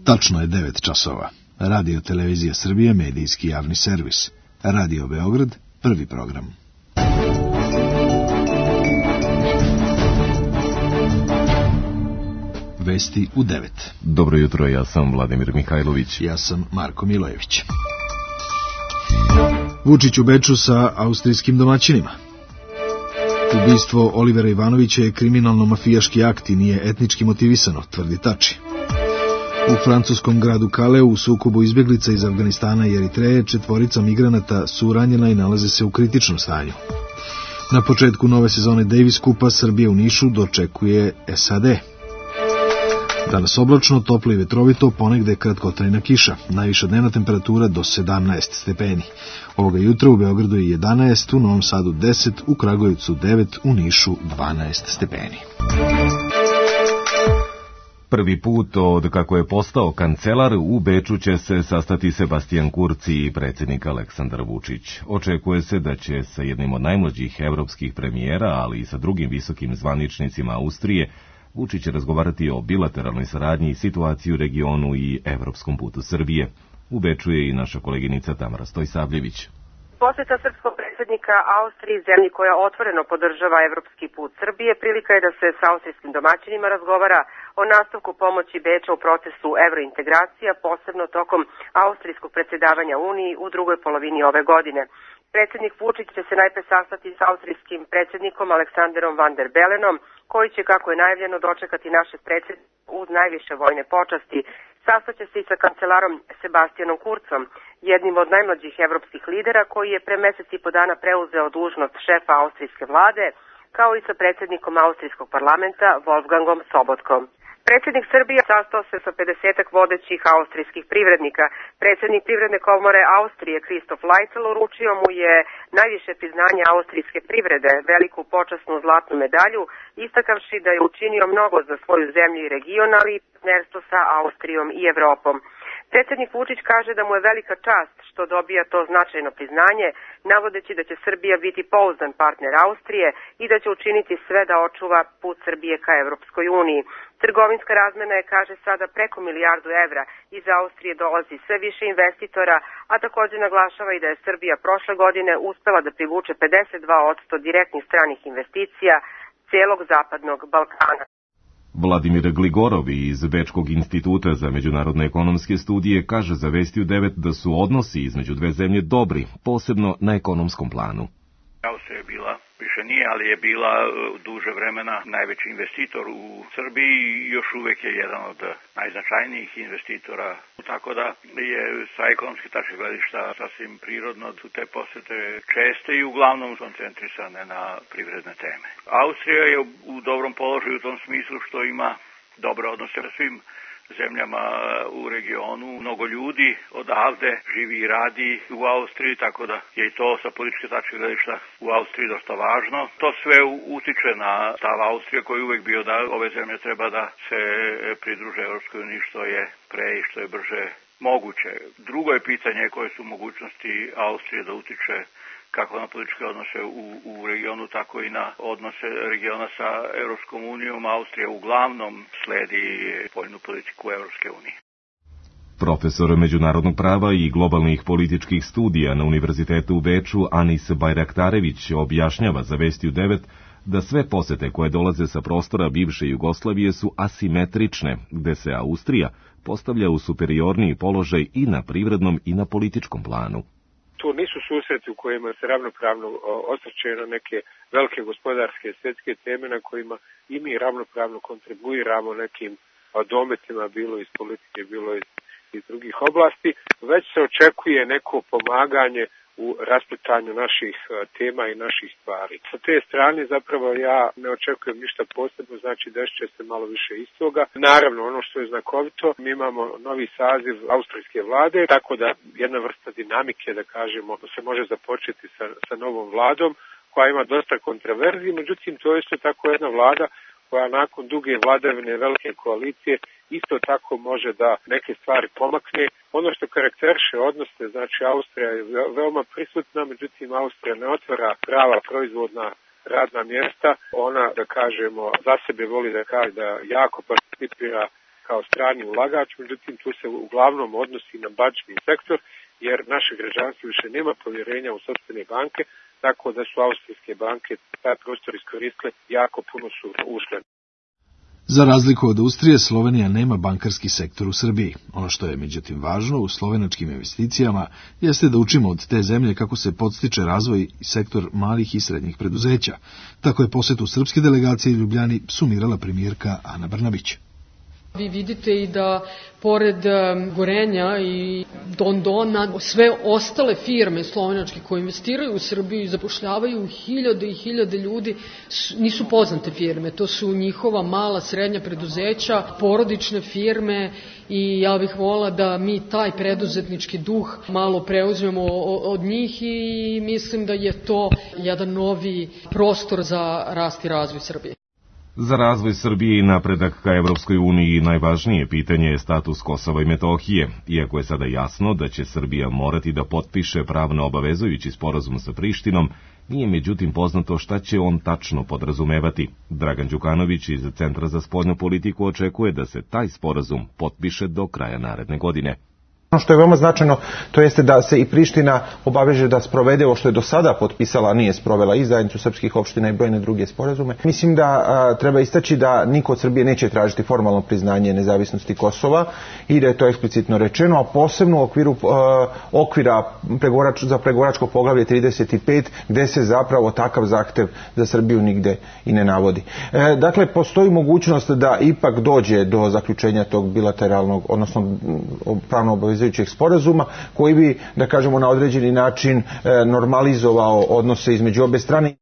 Tačno je 9 časova. Radio Televizija Srbije, medijski javni servis. Radio Beograd, prvi program. Vesti u 9. Dobro jutro, ja sam Vladimir Mihajlović. Ja sam Marko Milojević. Vučić u Beču sa austrijskim domaćinima. Ubistvo Olivera Ivanovića je kriminalno-mafijaški akt i nije etnički motivisano, tvrdi Tači. U francuskom gradu Kaleu u sukobu izbjeglica iz Afganistana i Eritreje 4 migranata su ranjena i nalaze se u kritičnom stanju. Na početku nove sezone Davis Kupa Srbije u Nišu dočekuje SAD. Danas oblačno, toplo i vetrovito, ponegde kratkotrajna kiša. Najviša dnevna temperatura do 17 stepeni. Ovoga jutra u Beogradu je 11, u Novom Sadu 10, u Kragujevcu 9, u Nišu 12 stepeni. Prvi put od kako je postao kancelar u Beču će se sastati Sebastian Kurz i predsjednik Aleksandar Vučić. Očekuje se da će sa jednim od najmlađih evropskih premijera, ali i sa drugim visokim zvaničnicima Austrije, Vučić će razgovarati o bilateralnoj saradnji i situaciji u regionu i evropskom putu Srbije. U Beču je i naša koleginica Tamara Stojsavljević. Posjeta srpskog predsjednika Austriji, zemlji koja otvoreno podržava evropski put Srbije, prilika je da se s austrijskim domaćinima razgovara o nastavku pomoći Beča u procesu evrointegracija, posebno tokom austrijskog predsjedavanja Uniji u drugoj polovini ove godine. Predsjednik Vučić će se najpre sastati s austrijskim predsjednikom Aleksanderom van der Bellenom, koji će, kako je najavljeno, dočekati našeg predsjednika uz najviše vojne počasti. Sastaće se i sa kancelarom Sebastianom Kurzom, jednim od najmlađih evropskih lidera koji je pre mjesec i po dana preuzeo dužnost šefa austrijske vlade, kao i sa predsjednikom austrijskog parlamenta Wolfgangom Sobotkom. Predsjednik Srbije sastao se sa 50-ak vodećih austrijskih privrednika. Predsjednik Privredne komore Austrije Kristof Lajcel uručio mu je najviše priznanje austrijske privrede, veliku počasnu zlatnu medalju, istakavši da je učinio mnogo za svoju zemlju i region, ali i partnerstvo sa Austrijom i Evropom. Predsjednik Vučić kaže da mu je velika čast što dobija to značajno priznanje, navodeći da će Srbija biti pouzdan partner Austrije i da će učiniti sve da očuva put Srbije ka Evropskoj uniji. Trgovinska razmena je, kaže, sada preko $1 milijardu. Iz Austrije dolazi sve više investitora, a također naglašava i da je Srbija prošle godine uspela da privuče 52% direktnih stranih investicija cijelog zapadnog Balkana. Vladimir Gligorov iz Bečkog instituta za međunarodne ekonomske studije kaže za Vesti u 9 da su odnosi između dve zemlje dobri, posebno na ekonomskom planu. Austrija je bila, više nije, ali je bila duže vremena najveći investitor u Srbiji i još uvijek je jedan od najznačajnijih investitora. Tako da je sa ekonomske tačke gledišta sasvim prirodno su te posjete česte i uglavnom koncentrisane na privredne teme. Austrija je u dobrom položaju u tom smislu što ima dobre odnose sa svim zemljama u regionu. Mnogo ljudi odavde živi i radi u Austriji, tako da je i to sa političke tačke gledišta u Austriji dosta važno. To sve utiče na stav Austrije koji je uvijek bio da ove zemlje treba da se pridruže Europskoj uniji što je pre i što je brže moguće. Drugo je pitanje koje su mogućnosti Austrije da utiče kako na političke odnose u regionu, tako i na odnose regiona sa Europskom unijom. Austrija uglavnom sledi spoljnu politiku Europske unije. Profesor međunarodnog prava i globalnih političkih studija na Univerzitetu u Beču Anis Bajraktarević objašnjava za Vesti u 9 da sve posete koje dolaze sa prostora bivše Jugoslavije su asimetrične, gde se Austrija postavlja u superiorniji položaj i na privrednom i na političkom planu. To nisu susreti u kojima se ravnopravno osvrćaju na neke velike gospodarske svjetske teme na kojima i mi ravnopravno kontribuiramo nekim dometima, bilo iz politike, bilo iz drugih oblasti, već se očekuje neko pomaganje u rasplitanju naših tema i naših stvari. Sa te strane zapravo ja ne očekujem ništa posebno, znači desit će se malo više istoga. Naravno, ono što je znakovito, mi imamo novi saziv austrijske vlade, tako da jedna vrsta dinamike, da kažemo, se može započeti sa novom vladom, koja ima dosta kontroverzi, međutim to je isto tako jedna vlada koja nakon duge vladavine velike koalicije isto tako može da neke stvari pomakne. Ono što karakteriše odnose, znači Austrija je veoma prisutna, međutim Austrija ne otvara prava proizvodna radna mjesta. Ona, da kažemo, za sebe voli da kaže da jako participira kao strani ulagač, međutim tu se uglavnom odnosi na bančni sektor, jer naše građanstvo više nema povjerenja u sopstvene banke, tako da su austrijske banke taj prostor iskoristile, jako puno su ušle. Za razliku od Austrije, Slovenija nema bankarski sektor u Srbiji. Ono što je međutim važno u slovenačkim investicijama jeste da učimo od te zemlje kako se podstiče razvoj i sektor malih i srednjih preduzeća. Tako je posjetu srpske delegacije Ljubljani sumirala premijerka Ana Brnabić. Vi vidite i da pored Gorenja i Dondona, sve ostale firme slovenačke koje investiraju u Srbiju i zapošljavaju hiljade i hiljade ljudi, nisu poznate firme. To su njihova mala, srednja preduzeća, porodične firme i ja bih volila da mi taj preduzetnički duh malo preuzmemo od njih i mislim da je to jedan novi prostor za rast i razvoj Srbije. Za razvoj Srbije i napredak ka Evropskoj uniji najvažnije pitanje je status Kosova i Metohije, iako je sada jasno da će Srbija morati da potpiše pravno obavezujući sporazum sa Prištinom, nije međutim poznato šta će on tačno podrazumevati. Dragan Đukanović iz Centra za spoljnu politiku očekuje da se taj sporazum potpiše do kraja naredne godine. Ono što je veoma značajno, to jeste da se i Priština obaveže da sprovede ovo što je do sada potpisala, a nije sprovela, i zajednicu srpskih opština i brojne druge sporazume. Mislim da treba istaći da niko od Srbije neće tražiti formalno priznanje nezavisnosti Kosova i da je to eksplicitno rečeno, a posebno u okviru okvira za pregovaračko poglavlje 35, gde se zapravo takav zahtev za Srbiju nigde i ne navodi. Dakle, postoji mogućnost da ipak dođe do zaključenja tog bilateralnog, odnosno pravno obavezujućeg sporazuma koji bi, da kažemo, na određeni način normalizovao odnose između obe strane.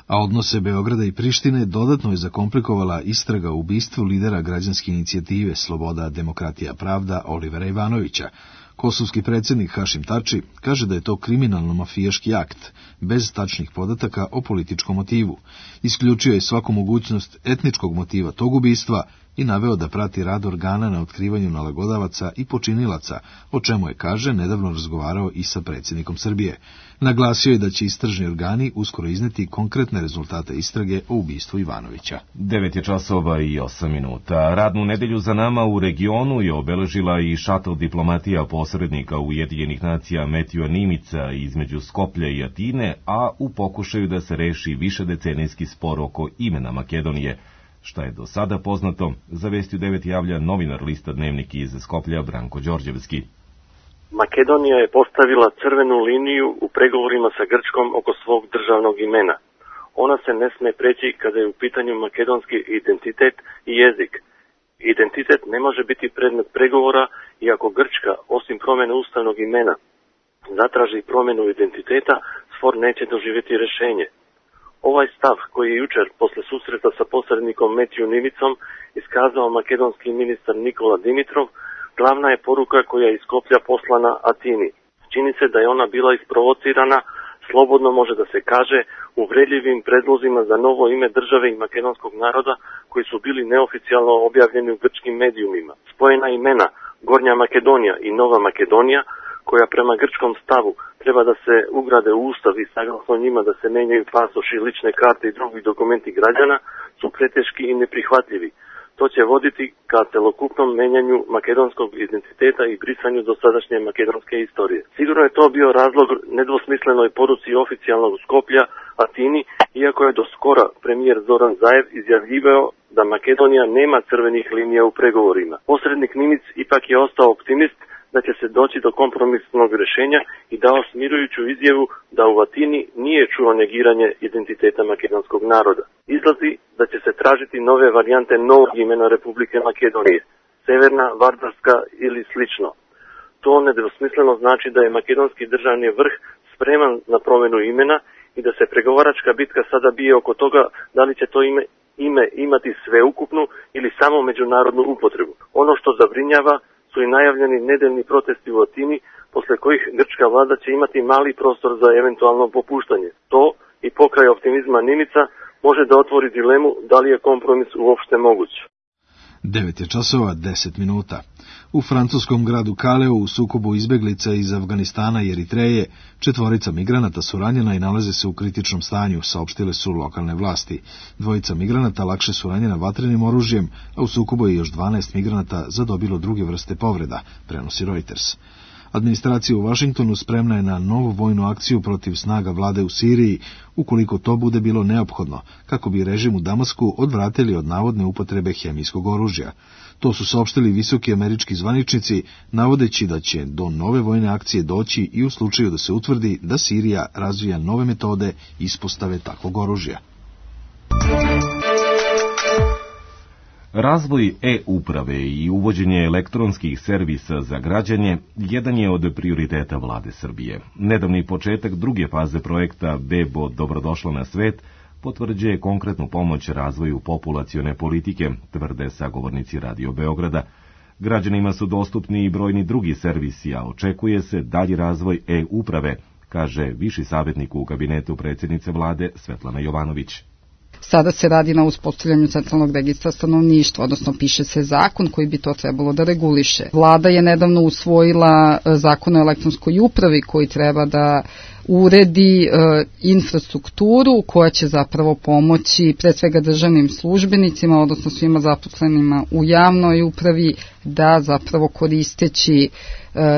A odnose Beograda i Prištine dodatno je zakomplikovala istraga o ubistvu lidera građanske inicijative Sloboda, demokratija, pravda Olivera Ivanovića. Kosovski predsjednik Hašim Tači kaže da je to kriminalno-mafijaški akt, bez tačnih podataka o političkom motivu. Isključio je svaku mogućnost etničkog motiva tog ubistva i naveo da prati rad organa na otkrivanju nalagodavaca i počinilaca, o čemu je, kaže, nedavno razgovarao i sa predsjednikom Srbije. Naglasio je da će istražni organi uskoro izneti konkretne rezultate istrage o ubistvu Ivanovića. 9:08. Radnu nedelju za nama u regionu je obeležila i šatl diplomatija posrednika Ujedinjenih nacija Metjua Nimica između Skoplja i Atine, a u pokušaju da se reši višedecenijski spor oko imena Makedonije. Šta je do sada poznato, za Vesti u 9 javlja novinar lista Dnevnik iz Skoplja Branko Đorđevski. Makedonija je postavila crvenu liniju u pregovorima sa Grčkom oko svog državnog imena. Ona se ne sme preći kada je u pitanju makedonski identitet i jezik. Identitet ne može biti predmet pregovora i ako Grčka, osim promjene ustavnog imena, zatraži promjenu identiteta, spor neće doživjeti rješenje. Ovaj stav, koji je jučer posle susreta sa posrednikom Metju Nimicom iskazao makedonski ministar Nikola Dimitrov, glavna je poruka koja je iz Skoplja poslana Atini. Čini se da je ona bila isprovocirana, slobodno može da se kaže, uvredljivim predlozima za novo ime države i makedonskog naroda koji su bili neoficijalno objavljeni u grčkim medijumima. Spojena imena Gornja Makedonija i Nova Makedonija, koja prema grčkom stavu treba da se ugrade u ustav i saglasno njima da se menjaju pasoši, lične karte i drugi dokumenti građana, su preteški i neprihvatljivi. To će voditi ka celokupnom menjanju makedonskog identiteta i brisanju dosadašnje makedonske istorije. Sigurno je to bio razlog nedvosmislenoj poruci oficijalnog Skoplja Atini, iako je do skora premijer Zoran Zaev izjavljivao da Makedonija nema crvenih linija u pregovorima. Posrednik Nimic ipak je ostao optimist da će se doći do kompromisnog rješenja i dao smirujuću izjavu da u Atini nije čuo negiranje identiteta makedonskog naroda. Izlazi da će se tražiti nove varijante novog imena Republike Makedonije, Severna, Vardarska ili slično. To nedvosmisleno znači da je makedonski državni vrh spreman na promjenu imena i da se pregovaračka bitka sada bije oko toga da li će to ime imati sveukupnu ili samo međunarodnu upotrebu. Ono što zabrinjava su i najavljeni nedeljni protesti u Atini, posle kojih grčka vlada će imati mali prostor za eventualno popuštanje. To i pokraj optimizma Nimica može da otvori dilemu da li je kompromis uopšte moguć. 9 je časova 10 minuta. U francuskom gradu Kaleu u sukobu izbeglica iz Afganistana i Eritreje 4 migranata su ranjena i nalaze se u kritičnom stanju, saopštile su lokalne vlasti. 2 migranata lakše su ranjena vatrenim oružjem, a u sukobu je još 12 migranata zadobilo druge vrste povreda, prenosi Reuters. Administracija u Vašingtonu spremna je na novu vojnu akciju protiv snaga vlade u Siriji, ukoliko to bude bilo neophodno, kako bi režim u Damasku odvratili od navodne upotrebe hemijskog oružja. To su saopštili visoki američki zvaničnici, navodeći da će do nove vojne akcije doći i u slučaju da se utvrdi da Sirija razvija nove metode ispostave takvog oružja. Razvoj e-uprave i uvođenje elektronskih servisa za građane jedan je od prioriteta vlade Srbije. Nedavni početak druge faze projekta Bebo dobrodošla na svet potvrđuje konkretnu pomoć razvoju populacione politike, tvrde sagovornici Radio Beograda. Građanima su dostupni i brojni drugi servisi, a očekuje se dalji razvoj e-uprave, kaže viši savjetnik u kabinetu predsjednice vlade Svetlana Jovanović. Sada se radi na uspostavljanju centralnog registra stanovništva, odnosno piše se zakon koji bi to trebalo da reguliše. Vlada je nedavno usvojila zakon o elektronskoj upravi koji treba da uredi infrastrukturu koja će zapravo pomoći pre svega državnim službenicima, odnosno svima zaposlenima u javnoj upravi, da zapravo koristeći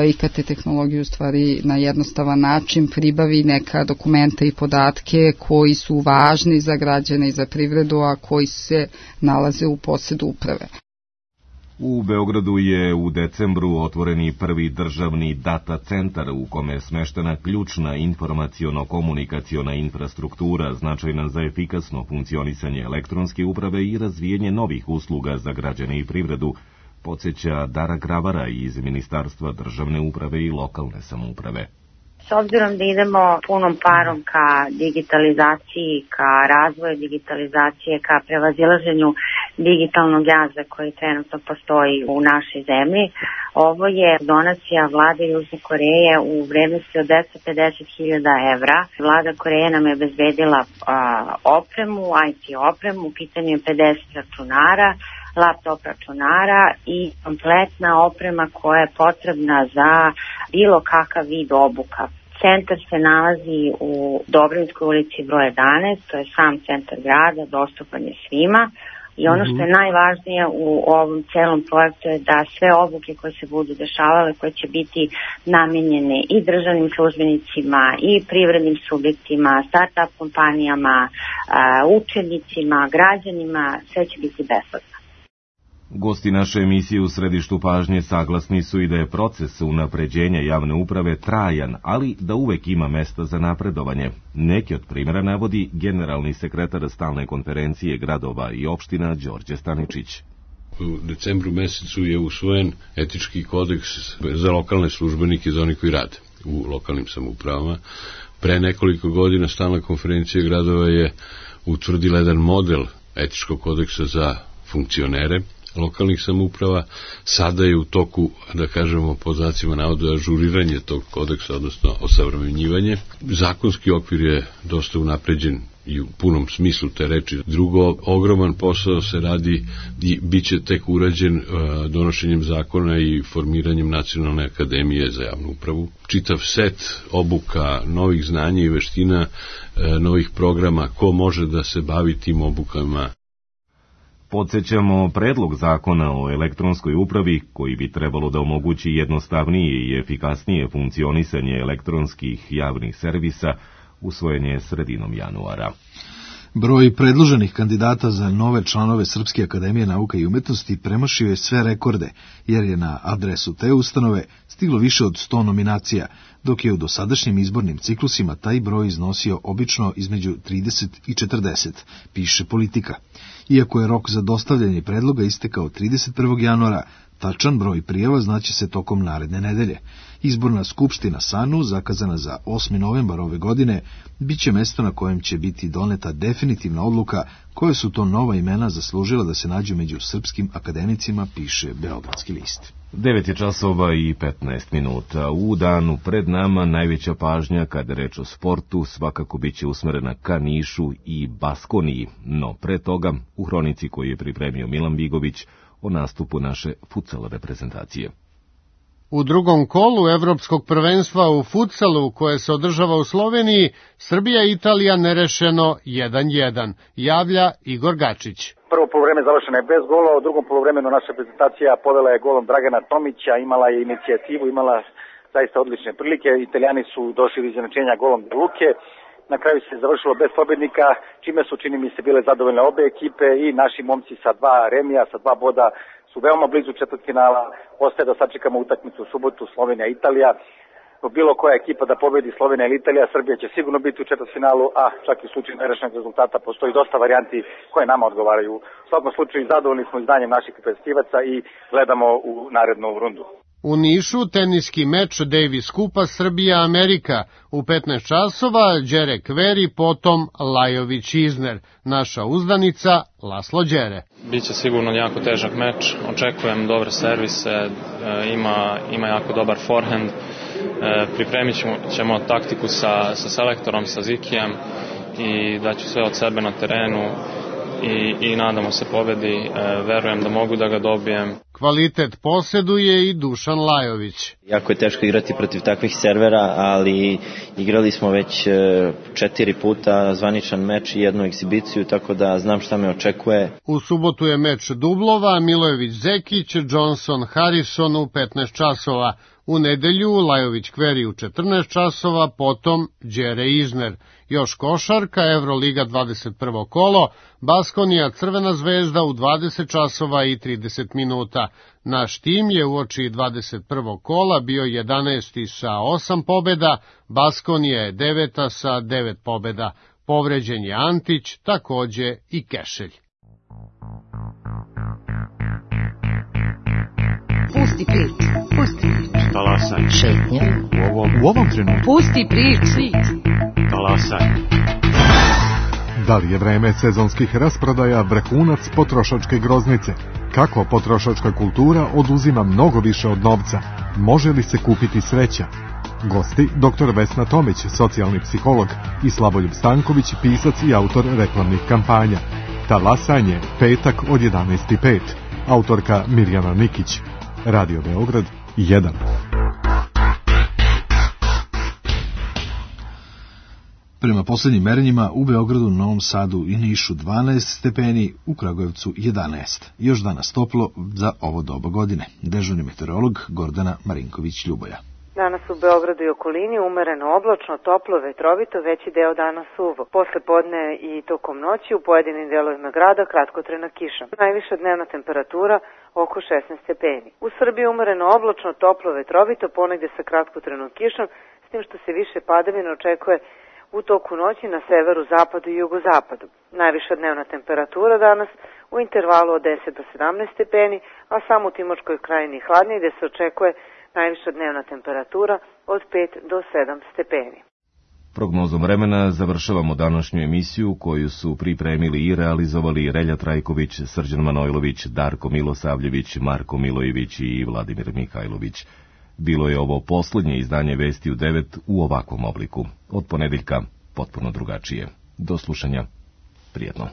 IKT tehnologiju u stvari na jednostavan način pribavi neka dokumenta i podatke koji su važni za građane i za privredu, a koji se nalaze u posedu uprave. U Beogradu je u decembru otvoreni prvi državni data centar u kome je smeštena ključna informaciono-komunikaciona infrastruktura značajna za efikasno funkcionisanje elektronske uprave i razvijenje novih usluga za građane i privredu, podsjeća Dara Gravara iz Ministarstva državne uprave i lokalne samouprave. S obzirom da idemo punom parom ka digitalizaciji, ka razvoju digitalizacije, ka prevazilaženju digitalnog jaza koji trenutno postoji u našoj zemlji, ovo je donacija vlade Južne Koreje u vrednosti od 250.000 evra. Vlada Koreje nam je obezbedila opremu, IT opremu, u pitanju je 50 računara, laptop računara i kompletna oprema koja je potrebna za bilo kakav vid obuka. Centar se nalazi u Dobrinskoj ulici broj 11, to je sam centar grada, dostupan je svima. I ono što je najvažnije u ovom celom projektu je da sve obuke koje se budu dešavale, koje će biti namenjene i državnim službenicima, i privrednim subjektima, start-up kompanijama, učenicima, građanima, sve će biti besplatno. Gosti naše emisije u središtu pažnje saglasni su i da je proces unapređenja javne uprave trajan, ali da uvek ima mesta za napredovanje. Neki od primjera navodi generalni sekretar stalne konferencije gradova i opština Đorđe Staničić. U decembru mesecu je usvojen etički kodeks za lokalne službenike, za oni koji rade u lokalnim samoupravama. Pre nekoliko godina stalna konferencija gradova je utvrdila jedan model etičkog kodeksa za funkcionere lokalnih samouprava. Sada je u toku, da kažemo, pod znacima navoda, ažuriranje tog kodeksa, odnosno osavremenjivanje. Zakonski okvir je dosta unapređen i u punom smislu te reči. Drugo, ogroman posao se radi i bit će tek urađen donošenjem zakona i formiranjem Nacionalne akademije za javnu upravu. Čitav set obuka, novih znanja i veština, novih programa, ko može da se bavi tim obukama. Podsjećamo predlog zakona o elektronskoj upravi, koji bi trebalo da omogući jednostavnije i efikasnije funkcionisanje elektronskih javnih servisa, usvojen je sredinom januara. Broj predloženih kandidata za nove članove Srpske akademije nauka i umetnosti premašio je sve rekorde, jer je na adresu te ustanove stiglo više od 100 nominacija, dok je u dosadašnjim izbornim ciklusima taj broj iznosio obično između 30 i 40, piše Politika. Iako je rok za dostavljanje predloga istekao 31. januara, tačan broj prijava znaće se tokom naredne nedelje. Izborna skupština SANU, zakazana za 8. novembar ove godine, bit će mesto na kojem će biti doneta definitivna odluka koje su to nova imena zaslužila da se nađu među srpskim akademicima, piše Beogradski list. 9 je časova i 15 minuta. U danu pred nama najveća pažnja kada je reč o sportu svakako bit će usmerena ka Nišu i Baskoniji, no pre toga u hronici koju je pripremio Milan Bigović o nastupu naše futsal reprezentacije. U drugom kolu Evropskog prvenstva u futsalu, koje se održava u Sloveniji, Srbija i Italija nerešeno 1:1, javlja Igor Gačić. Prvo poluvreme završeno je bez gola, u drugom poluvremenu naša reprezentacija povela je golom Dragana Tomića, imala je inicijativu, imala zaista odlične prilike. Italijani su došli do izjednačenja golom De Luke. Na kraju se završilo bez pobednika, čime su, čini mi se, bile zadovoljne obe ekipe i naši momci sa 2 remija, sa 2 boda su veoma blizu četvrtfinala. Ostaje da sačekamo utakmicu u subotu Slovenija-Italija. Bilo koja ekipa da pobedi, Slovenija ili Italija, Srbija će sigurno biti u četvrtfinalu, a čak i u slučaju nerešenog rezultata postoji dosta varijanti koje nama odgovaraju. U svakom slučaju zadovoljni smo izdanjem naših reprezentativaca i gledamo u narednu rundu. U Nišu teniski meč Davis Kupa Srbija-Amerika u 15 časova, Đere Kveri, potom Lajović-Izner. Naša uzdanica Laslo Đere. Biće sigurno jako težak meč, očekujem dobre servise, ima jako dobar forehand, pripremit ćemo taktiku sa selektorom, sa Zikijem i daću sve od sebe na terenu i nadamo se pobedi, verujem da mogu da ga dobijem. Kvalitet posjeduje i Dušan Lajović. Jako je teško igrati protiv takvih servera, ali igrali smo već 4 puta zvaničan meč i jednu egzibiciju, tako da znam šta me očekuje. U subotu je meč dublova, Milojević-Zekić, Johnson-Harrison u 15 časova. U nedelju Lajović Kveri u 14 časova, potom Đere Izner. Još košarka, Evroliga 21. kolo, Baskonija Crvena zvezda u 20 časova i 30 minuta. Naš tim je uoči 21. kola bio 11. sa 8 pobjeda, Baskonija je 9. sa 9 pobjeda. Povređen je Antić, takođe i Kešelj. Pusti priču, pusti priču. Talasaj. Šetnja. U ovom trenutku. Pusti priču. Talasaj. Da li je vreme sezonskih rasprodaja vrhunac potrošačke groznice? Kako potrošačka kultura oduzima mnogo više od novca? Može li se kupiti sreća? Gosti dr. Vesna Tomić, socijalni psiholog, i Slavoljub Stanković, pisac i autor reklamnih kampanja. Talasanje, petak od 11:05. Autorka Mirjana Nikić. Radio Beograd 1. Prema posljednjim merenjima u Beogradu, Novom Sadu i Nišu 12 stepeni, u Kragujevcu 11. Još danas toplo za ovo doba godine. Dežurni meteorolog Gordana Marinković-Ljuboja. Danas u Beogradu i okolini umereno oblačno, toplo, vetrovito, veći deo dana suvo. Posle podne i tokom noći u pojedinim delovima grada kratkotrajna kiša. Najviša dnevna temperatura oko 16 stepeni. U Srbiji umereno oblačno, toplo, vetrovito, ponegde sa kratkotrajnom kišom, s tim što se više padavina očekuje u toku noći na severu, zapadu i jugozapadu. Najviša dnevna temperatura danas u intervalu od 10 do 17 stepeni, a samo u Timočkoj krajini hladnije gde se očekuje najviša dnevna temperatura od 5 do 7 stepeni. Prognozom vremena završavamo današnju emisiju koju su pripremili i realizovali Relja Trajković, Srđan Manojlović, Darko Milosavljević, Marko Milojević i Vladimir Mihajlović. Bilo je ovo posljednje izdanje Vesti u 9 u ovakvom obliku. Od ponedeljka potpuno drugačije. Do slušanja. Prijetno.